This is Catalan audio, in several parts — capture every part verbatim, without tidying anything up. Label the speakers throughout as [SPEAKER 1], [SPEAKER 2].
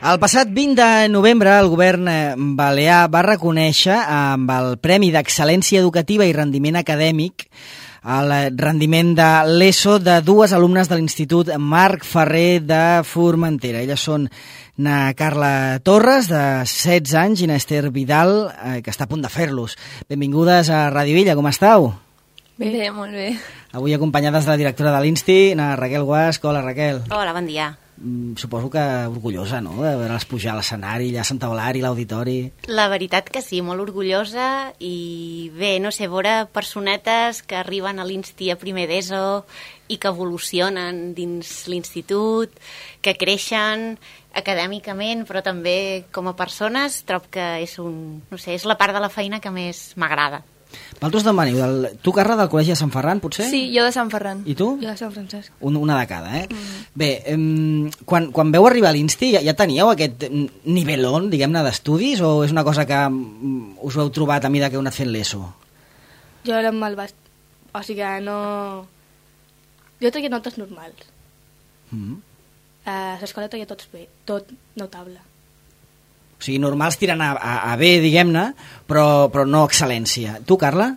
[SPEAKER 1] El passat vint de novembre el govern balear va reconèixer amb el Premi d'Excel·lència Educativa i Rendiment Acadèmic el rendiment de l'ESO de dues alumnes de l'Institut Marc Ferrer de Formentera. Elles són na Carla Torres, de setze anys, i na Esther Vidal, eh, que està a punt de fer-los. Benvingudes a Ràdio Illa, com estàu?
[SPEAKER 2] Bé, bé, molt bé.
[SPEAKER 1] Avui acompanyades de la directora de l'Insti, na Raquel Guasc. Hola, Raquel.
[SPEAKER 3] Hola, bon dia.
[SPEAKER 1] Suposo que orgullosa, no?, de veure'ls pujar a l'escenari, allà a Santa Eulària, l'auditori.
[SPEAKER 3] La veritat que sí, molt orgullosa, i bé, no sé, veure personetes que arriben a l'Insti a primer d'ESO i que evolucionen dins l'institut, que creixen acadèmicament, però també com a persones, trob que és un, no sé, és la part de la feina que més m'agrada.
[SPEAKER 1] Vosaltres d'on veniu? Del... Tu, Carla, del Col·legi de Sant Ferran, potser?
[SPEAKER 2] Sí, jo de Sant Ferran.
[SPEAKER 1] I tu?
[SPEAKER 2] Jo de Sant Francesc.
[SPEAKER 1] Un, una de cada, eh? Mm. Bé, eh, quan, quan veu arribar a l'Insti, ja, ja teníeu aquest nivelón, diguem-ne, d'estudis, o és una cosa que mm, us ho heu trobat a mida que heu anat fent l'ESO?
[SPEAKER 4] Jo era mal bast... O sigui que no... Jo tenia notes normals.
[SPEAKER 1] Mm.
[SPEAKER 4] A l'escola tenia tots bé, tot notable.
[SPEAKER 1] O sigui, normals tiren a, a, a bé, diguem-ne, però, però no excel·lència. Tu, Carla?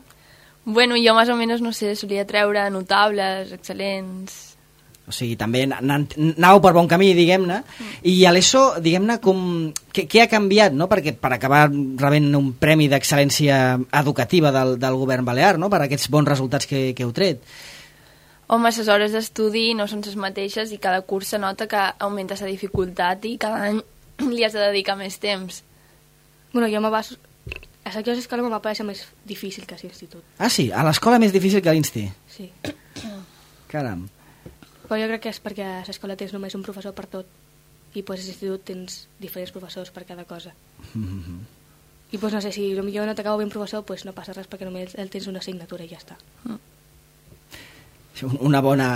[SPEAKER 2] Bueno, jo més o menys, no sé, solia treure notables, excel·lents...
[SPEAKER 1] O sigui, també anàveu per bon camí, diguem-ne, mm. i a l'ESO, diguem-ne, com... Què, què ha canviat, no?, perquè per acabar rebent un premi d'excel·lència educativa del, del govern balear, no?, per aquests bons resultats que, que heu tret.
[SPEAKER 2] Home, les hores d'estudi no són les mateixes i cada curs se nota que augmenta la dificultat i cada any li has de dedicar més temps.
[SPEAKER 4] Bueno, jo me va... A la escola me va parèixer més difícil que a l'institut.
[SPEAKER 1] Ah, sí? A l'escola més difícil que a l'Insti?
[SPEAKER 4] Sí.
[SPEAKER 1] Caram.
[SPEAKER 4] Però jo crec que és perquè a l'escola tens només un professor per tot i pues, a l'institut tens diferents professors per cada cosa.
[SPEAKER 1] Mm-hmm.
[SPEAKER 4] I pues, no sé, si potser no t'acaba bé un professor, pues, no passa res perquè només el tens una assignatura i ja està.
[SPEAKER 2] Mm.
[SPEAKER 1] Una bona...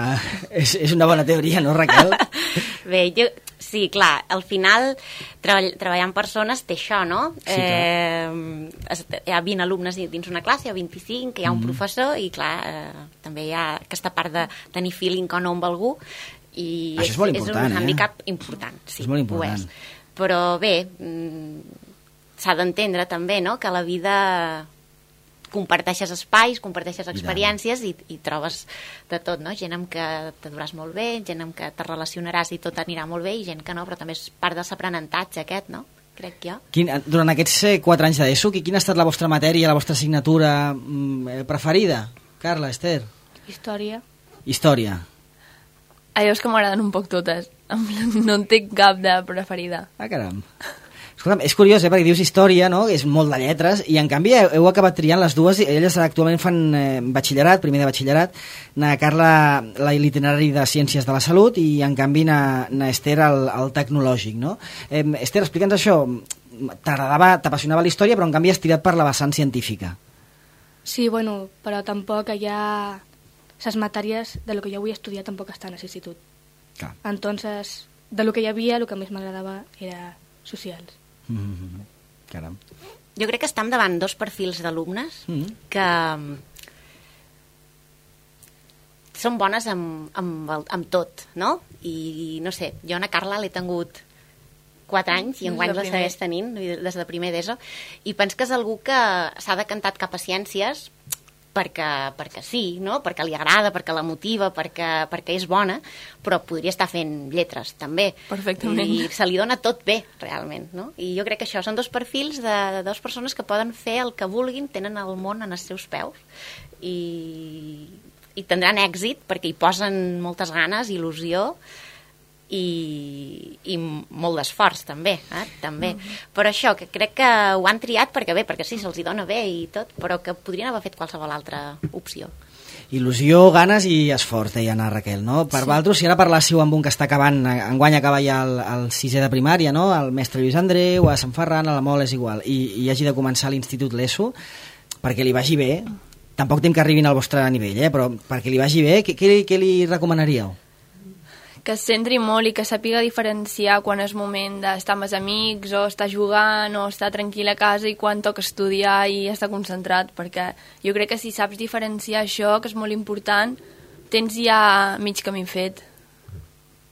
[SPEAKER 1] És, és una bona teoria, no, Raquel?
[SPEAKER 3] Bé, jo... Sí, clar, al final treball, treballar amb persones té això, no?
[SPEAKER 1] Sí,
[SPEAKER 3] eh, hi ha vint alumnes dins una classe, hi ha vint-i-cinc, hi ha un mm. professor i, clar, eh, també hi ha aquesta part de tenir feeling o no amb algú i
[SPEAKER 1] això és, és,
[SPEAKER 3] és un
[SPEAKER 1] eh?
[SPEAKER 3] handicap important. Sí,
[SPEAKER 1] és molt important.
[SPEAKER 3] És. Però bé, s'ha d'entendre també, no?, que la vida... comparteixes espais, comparteixes experiències i, i trobes de tot, no? Gent amb què t'adoràs molt bé, gent amb què te relacionaràs i tot anirà molt bé, i gent que no, però també és part de l'aprenentatge aquest, no? Crec jo. Quin,
[SPEAKER 1] durant aquests quatre anys d'ESO, quina ha estat la vostra matèria, la vostra assignatura mm, preferida? Carla, Esther?
[SPEAKER 4] Història.
[SPEAKER 1] Història.
[SPEAKER 2] A jo és que m'agraden un poc totes. No en tinc cap de preferida.
[SPEAKER 1] Ah, caram. Escolta'm, és curiós, eh, perquè dius història, no?, és molt de lletres, i en canvi heu, heu acabat triant les dues, i elles actualment fan eh, batxillerat, primer de batxillerat, na Carla l'itinerari de Ciències de la Salut, i en canvi na, na Esther el, el tecnològic, no? Eh, Esther, explica'ns això, t'agradava, t'apassionava la història, però en canvi has tirat per la vessant científica.
[SPEAKER 4] Sí, bueno, però tampoc hi ha... Les matèries de lo que jo vull estudiar tampoc estan a l'institut.
[SPEAKER 1] Clar.
[SPEAKER 4] Entonces, de lo que hi havia, el que més m'agradava era socials.
[SPEAKER 1] Mm-hmm. Caram.
[SPEAKER 3] Jo crec que estem davant dos perfils d'alumnes mm-hmm. que són bones amb, amb, el, amb tot, no? I no sé, jo a Carla l'he tingut quatre anys i enguany la segueix tenint des de primer d'ESO, i penso que és algú que s'ha decantat cap a ciències perquè, perquè sí, no? Perquè li agrada, perquè la motiva, perquè, perquè és bona, però podria estar fent lletres també.
[SPEAKER 2] Perfectament.
[SPEAKER 3] I se li dona tot bé, realment, no? I jo crec que això són dos perfils de, de dues persones que poden fer el que vulguin, tenen el món en els seus peus i, i tindran èxit perquè hi posen moltes ganes, il·lusió i, i molt d'esforç també, eh? també. Mm-hmm. Però això, que crec que ho han triat perquè bé, perquè sí, se'ls hi dona bé i tot, però que podrien haver fet qualsevol altra opció.
[SPEAKER 1] Il·lusió, ganes i esforç, deia Ana Raquel, no? Per sí. Vosaltres, si ara parlássiu amb un que està acabant, enguany acaba ja el, el sisè de primària, no? El mestre Lluís Andreu, a Sant Ferran, a la Mol, és igual, i, i hagi de començar l'institut l'ESO, perquè li vagi bé, tampoc tem que arribin al vostre nivell, eh? Però perquè li vagi bé, què, què, què li recomanaríeu?
[SPEAKER 2] Que es centri molt i que sàpiga diferenciar quan és moment d'estar amb els amics o estar jugant o estar tranquil a casa i quan toca estudiar i estar concentrat, perquè jo crec que si saps diferenciar això, que és molt important, tens ja mig camí fet.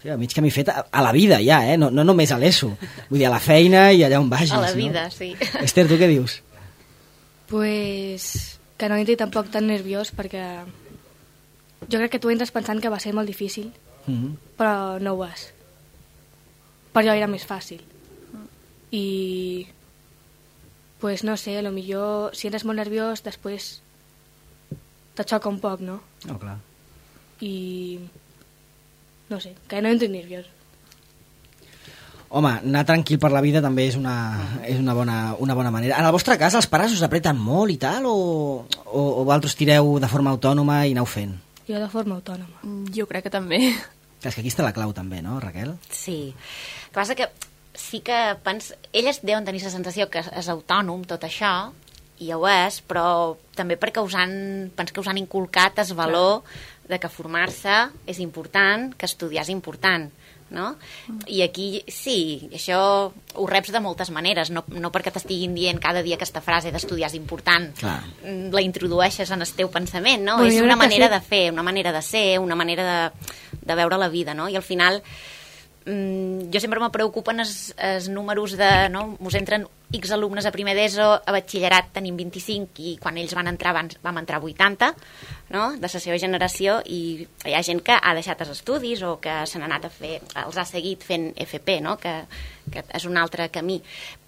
[SPEAKER 1] Sí, a mig camí fet a, a la vida ja, eh? no, no només a l'ESO. Vull dir, a la feina i allà on vagis.
[SPEAKER 3] A la vida,
[SPEAKER 1] no?
[SPEAKER 3] sí.
[SPEAKER 1] Esther, tu què dius?
[SPEAKER 4] Pues que no entri tampoc tan nerviós perquè jo crec que tu entres pensant que va ser molt difícil,
[SPEAKER 1] Mm-hmm.
[SPEAKER 4] però no ho és. Per jo era més fàcil. I pues no sé, a lo millor si eres molt nerviós després te xoca un poc, no?
[SPEAKER 1] No, clar.
[SPEAKER 4] I no sé, que no entri nerviós.
[SPEAKER 1] Home, anar tranquil per la vida també és una, és una, bona, una bona manera. En el vostre cas, els pares us apreten molt i tal, o, o, o vosaltres tireu de forma autònoma i aneu fent?
[SPEAKER 4] Jo de forma autònoma.
[SPEAKER 2] Jo crec que també.
[SPEAKER 1] És que aquí està la clau també, no, Raquel?
[SPEAKER 3] Sí. El que passa que sí que pens... elles deuen tenir la sensació que és autònom tot això, i ho és, però també perquè us han, pens que us han inculcat el valor de que formar-se és important, que estudiar és important, no? I aquí, sí, això ho reps de moltes maneres, no, no perquè t'estiguin dient cada dia aquesta frase d'estudiar és important.
[SPEAKER 1] Clar.
[SPEAKER 3] La introdueixes en el teu pensament, no?
[SPEAKER 4] Bueno,
[SPEAKER 3] és
[SPEAKER 4] jo
[SPEAKER 3] una
[SPEAKER 4] crec que
[SPEAKER 3] manera
[SPEAKER 4] sí.
[SPEAKER 3] de fer, una manera de ser, una manera de, de veure la vida, no? I al final mm, jo sempre me preocupen els, els números de, no? Us entren X alumnes a primer d'ESO, a batxillerat tenim vint-i-cinc i quan ells van entrar van, vam entrar vuitanta, no? De la seva generació, i hi ha gent que ha deixat els estudis o que se n'ha anat a fer, els ha seguit fent F P, no? Que, que és un altre camí,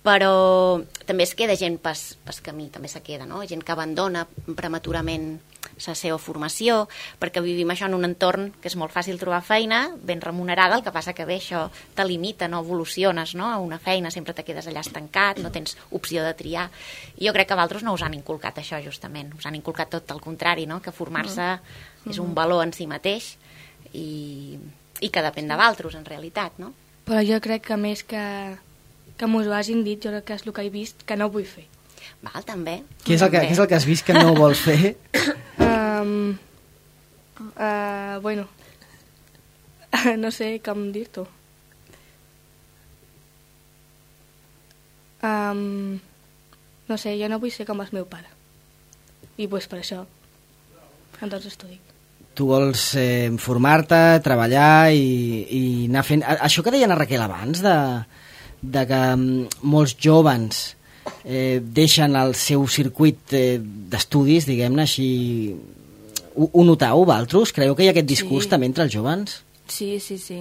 [SPEAKER 3] però també es queda gent pas, pas camí, també se queda, no? Gent que abandona prematurament la seva formació, perquè vivim això en un entorn que és molt fàcil trobar feina, ben remunerada, el que passa que bé, això te limita, no evoluciones, no? A una feina sempre te quedes allà estancat, no tens opció de triar. I jo crec que vosaltres no us han inculcat això, justament. Us han inculcat tot el contrari, no? Que formar-se mm. és un valor en si mateix i, i que depèn de vosaltres, en realitat, no?
[SPEAKER 4] Però jo crec que més que, que m'ho hagin dit, jo crec que és el que he vist que no vull fer.
[SPEAKER 3] Val, també.
[SPEAKER 1] Què és el que, què és el que has vist que no vols fer?
[SPEAKER 4] Um, uh, bueno, no sé com dir-t'ho. Um, no sé, jo no vull ser com el meu pare. I pues per això, entonces estudic.
[SPEAKER 1] Tu vols eh, formar-te, treballar i, i anar fent... Això que deia la Raquel abans, de, de que molts jóvens eh, deixen el seu circuit eh, d'estudis, diguem-ne així... Ho, ho notau, vosaltres? Creieu que hi ha aquest discurs
[SPEAKER 2] Sí.
[SPEAKER 1] també entre els jóvens?
[SPEAKER 2] Sí, sí, sí.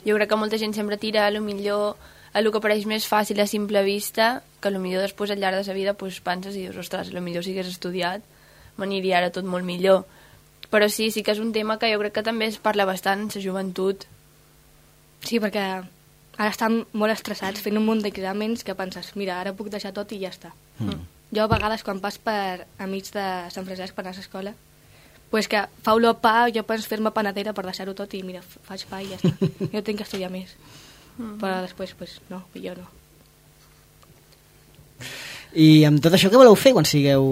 [SPEAKER 2] Jo crec que molta gent sempre tira a lo millor a lo que pareix més fàcil a simple vista, que a lo millor després al llarg de la vida pues, penses i dius, ostres, a lo millor si hagués estudiat m'aniria ara tot molt millor. Però sí, sí que és un tema que jo crec que també es parla bastant en la joventut.
[SPEAKER 4] Sí, perquè ara estan molt estressats fent un munt d'exàmens que penses, mira, ara puc deixar tot i ja està.
[SPEAKER 1] Mm.
[SPEAKER 4] Jo a vegades quan pas per amics de Sant Francesc per anar a l'escola, pues que fa olor a pa, jo penso fer-me panadera per deixar-ho tot i mira, faig pa i ja està. Jo tinc que estudiar més. Mm. Però després, pues no, jo no.
[SPEAKER 1] I amb tot això què voleu fer quan sigueu...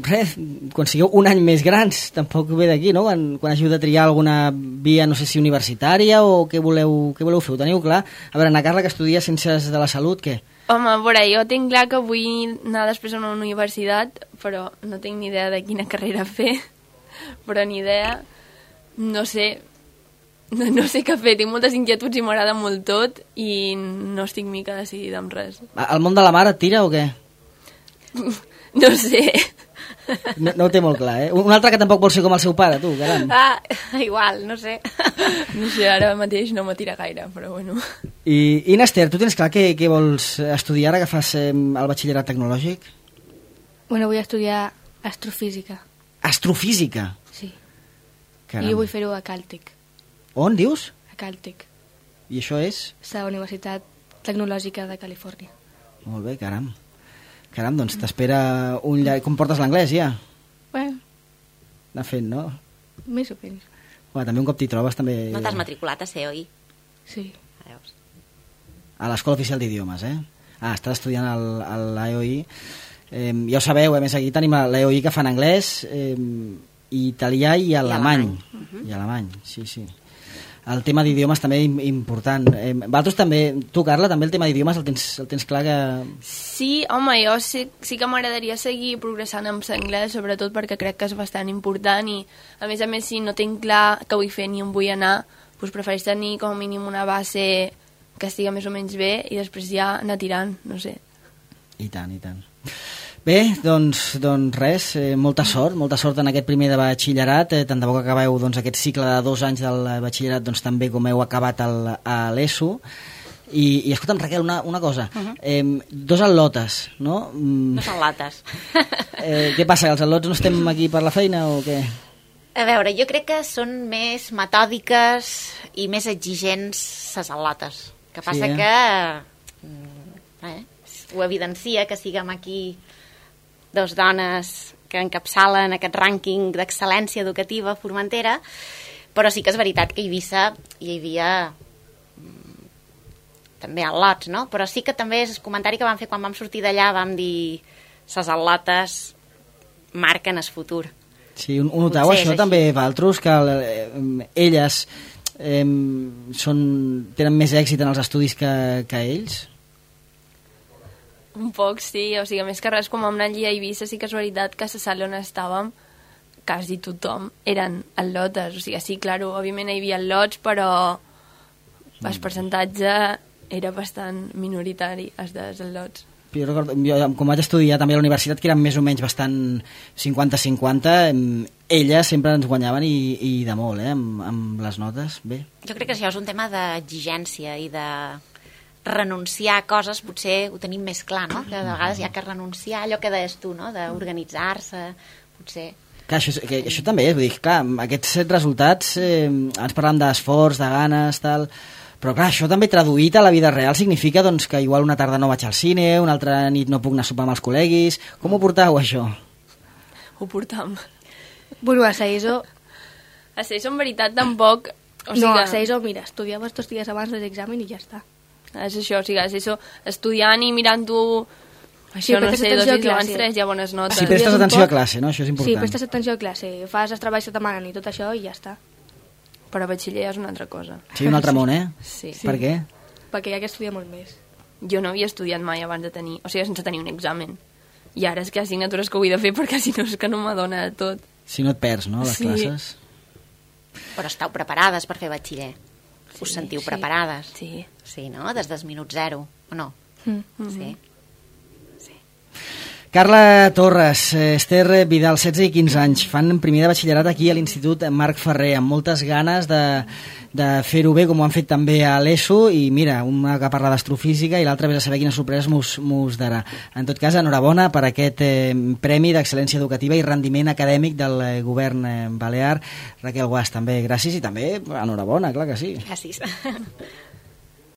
[SPEAKER 1] Res, quan sigueu un any més grans? Tampoc ve d'aquí, no? Quan, quan hàgiu de triar alguna via, no sé si universitària o què voleu, què voleu fer? Ho teniu clar? A veure, Ana Carla, que estudia Ciències de la Salut, què?
[SPEAKER 2] Home, a veure, jo tinc clar que vull anar després a una universitat, però no tinc ni idea de quina carrera fer, però ni idea, no sé, no, no sé què fer, tinc moltes inquietuds i m'agrada molt tot i no estic mica decidida amb res.
[SPEAKER 1] El món de la mare et tira o què?
[SPEAKER 2] No sé.
[SPEAKER 1] No, no ho té molt clar, eh? Un altre que tampoc vol ser com el seu pare, tu, caram.
[SPEAKER 3] Ah, igual, no sé.
[SPEAKER 2] No sé, ara mateix no m'atira gaire, però bueno.
[SPEAKER 1] I, i Nester, tu tens clar què, què vols estudiar ara que fas eh, el batxillerat tecnològic?
[SPEAKER 4] Bueno, vull estudiar astrofísica,
[SPEAKER 1] Astrofísica.
[SPEAKER 4] sí.
[SPEAKER 1] Caram.
[SPEAKER 4] I vull fer-ho a Caltech,
[SPEAKER 1] On, dius?
[SPEAKER 4] a Caltech,
[SPEAKER 1] I això és?
[SPEAKER 4] la Universitat Tecnològica de Califòrnia.
[SPEAKER 1] Molt bé, caram. Caram, doncs t'espera un llarg... Com portes l'anglès, ja?
[SPEAKER 4] Bueno,
[SPEAKER 1] Anar fent, no?
[SPEAKER 4] més o menys,
[SPEAKER 1] Bueno, també un cop t'hi trobes, també...
[SPEAKER 3] No t'has matriculat a C O I?
[SPEAKER 4] sí.
[SPEAKER 3] Veus?
[SPEAKER 1] A l'Escola Oficial d'Idiomes, eh? Ah, estàs estudiant el, el, l'E O I. Eh, ja ho sabeu, a més aquí tenim l'E O I que fa en anglès, eh, italià i alemany. I alemany, uh-huh. I alemany, sí, sí. El tema d'idiomes també important. Eh, vosaltres també, tu Carla, també el tema d'idiomes el tens, el tens clar que...
[SPEAKER 2] Sí, home, jo sí, sí que m'agradaria seguir progressant amb l'anglès, sobretot perquè crec que és bastant important i, a més a més, si no tinc clar què vull fer ni on vull anar, doncs prefereix tenir com a mínim una base que estigui més o menys bé i després ja anar tirant, no sé.
[SPEAKER 1] I tant, i tant. Bé, doncs, doncs res, eh, molta sort, molta sort en aquest primer de batxillerat, eh, tant de bo que acabeu doncs, aquest cicle de dos anys del batxillerat doncs, també com heu acabat el, a l'ESO. I, i escolta'm, Raquel, una, una cosa, uh -huh. eh, dos al·lotes, no? Mm,
[SPEAKER 3] dos al·lotes.
[SPEAKER 1] eh, què passa, que els al·lots no estem aquí per la feina o què?
[SPEAKER 3] A veure, jo crec que són més metòdiques i més exigents les al·lotes. Que passa sí, eh? que eh, ho evidencia que siguem aquí dos dones que encapçalen aquest rànquing d'excel·lència educativa a Formentera, però sí que és veritat que a Eivissa hi havia també al·lots, no? Però sí que també és el comentari que vam fer quan vam sortir d'allà, vam dir les al·lotes marquen el futur.
[SPEAKER 1] Sí, ho noteu això també, Valtros, que eh, elles eh, són, tenen més èxit en els estudis que, que ells?
[SPEAKER 2] Un poc, sí, o sigui, més que res, quan vam anar allí a Eivissa, sí que és veritat que a la sala on estàvem quasi tothom eren al·lotes, o sigui, sí, clar, òbviament hi havia al·lots, però el percentatge era bastant minoritari, els dels al·lots.
[SPEAKER 1] Jo recordo, jo, com vaig estudiar també a la universitat, que eren més o menys bastant cinquanta cinquanta, elles sempre ens guanyaven i, i de molt, eh, amb, amb les notes, bé.
[SPEAKER 3] Jo crec que això és un tema d'exigència i de renunciar a coses, potser ho tenim més clar, no? Que de vegades hi ha que renunciar a allò que deies tu, no? D'organitzar-se, potser...
[SPEAKER 1] Clar, això, que, això també és, vull dir, clar, aquests resultats, eh, ens parlàvem d'esforç, de ganes, tal, però clar, això també traduït a la vida real significa doncs, que igual una tarda no vaig al cine, una altra nit no puc anar a sopar amb els col·leguis. Com ho portau, això?
[SPEAKER 2] Ho portam.
[SPEAKER 4] Bueno, a l'ESO...
[SPEAKER 2] A l'ESO, en veritat, tampoc... O sigui,
[SPEAKER 4] no, a l'ESO, mira, estudiaves dos dies abans de l'examen i ja està.
[SPEAKER 2] És això, o sigui, és això, estudiant i mirant-ho... Això, sí, no sé, dos dies abans, tres, ja bones notes.
[SPEAKER 1] Si prestes atenció a classe, no? Això és important.
[SPEAKER 4] Sí, prestes atenció a classe, fas els treballs que et demanen i tot això i ja està.
[SPEAKER 2] Però a batxiller és una altra cosa.
[SPEAKER 1] Sí, un altre món, eh?
[SPEAKER 2] Sí.
[SPEAKER 1] Per què?
[SPEAKER 4] Perquè hi ha que estudiar molt més.
[SPEAKER 2] Jo no havia estudiat mai abans de tenir... O sigui, sense tenir un examen. I ara és que hi ha assignatures que ho he de fer perquè si no és que no m'adona tot.
[SPEAKER 1] Si no et perds, no, les
[SPEAKER 2] sí.
[SPEAKER 1] classes.
[SPEAKER 3] Però estàu preparades per fer batxiller. Sí, Us sentiu
[SPEAKER 2] sí.
[SPEAKER 3] preparades?
[SPEAKER 2] Sí.
[SPEAKER 3] Sí, no? Des del minut zero, o no?
[SPEAKER 2] Mm-hmm.
[SPEAKER 3] Sí.
[SPEAKER 1] Carla Torres, Esther Vidal, setze i quinze anys, fan primer de batxillerat aquí a l'Institut Marc Ferrer, amb moltes ganes de, de fer-ho bé, com ho han fet també a l'ESO, i mira, una que parla d'astrofísica i l'altra vés a saber quines sorpreses mos, mos darà. En tot cas, enhorabona per aquest eh, Premi d'Excel·lència Educativa i Rendiment Acadèmic del eh, govern eh, balear. Raquel Guas, també gràcies, i també enhorabona, clar que sí.
[SPEAKER 3] Gràcies.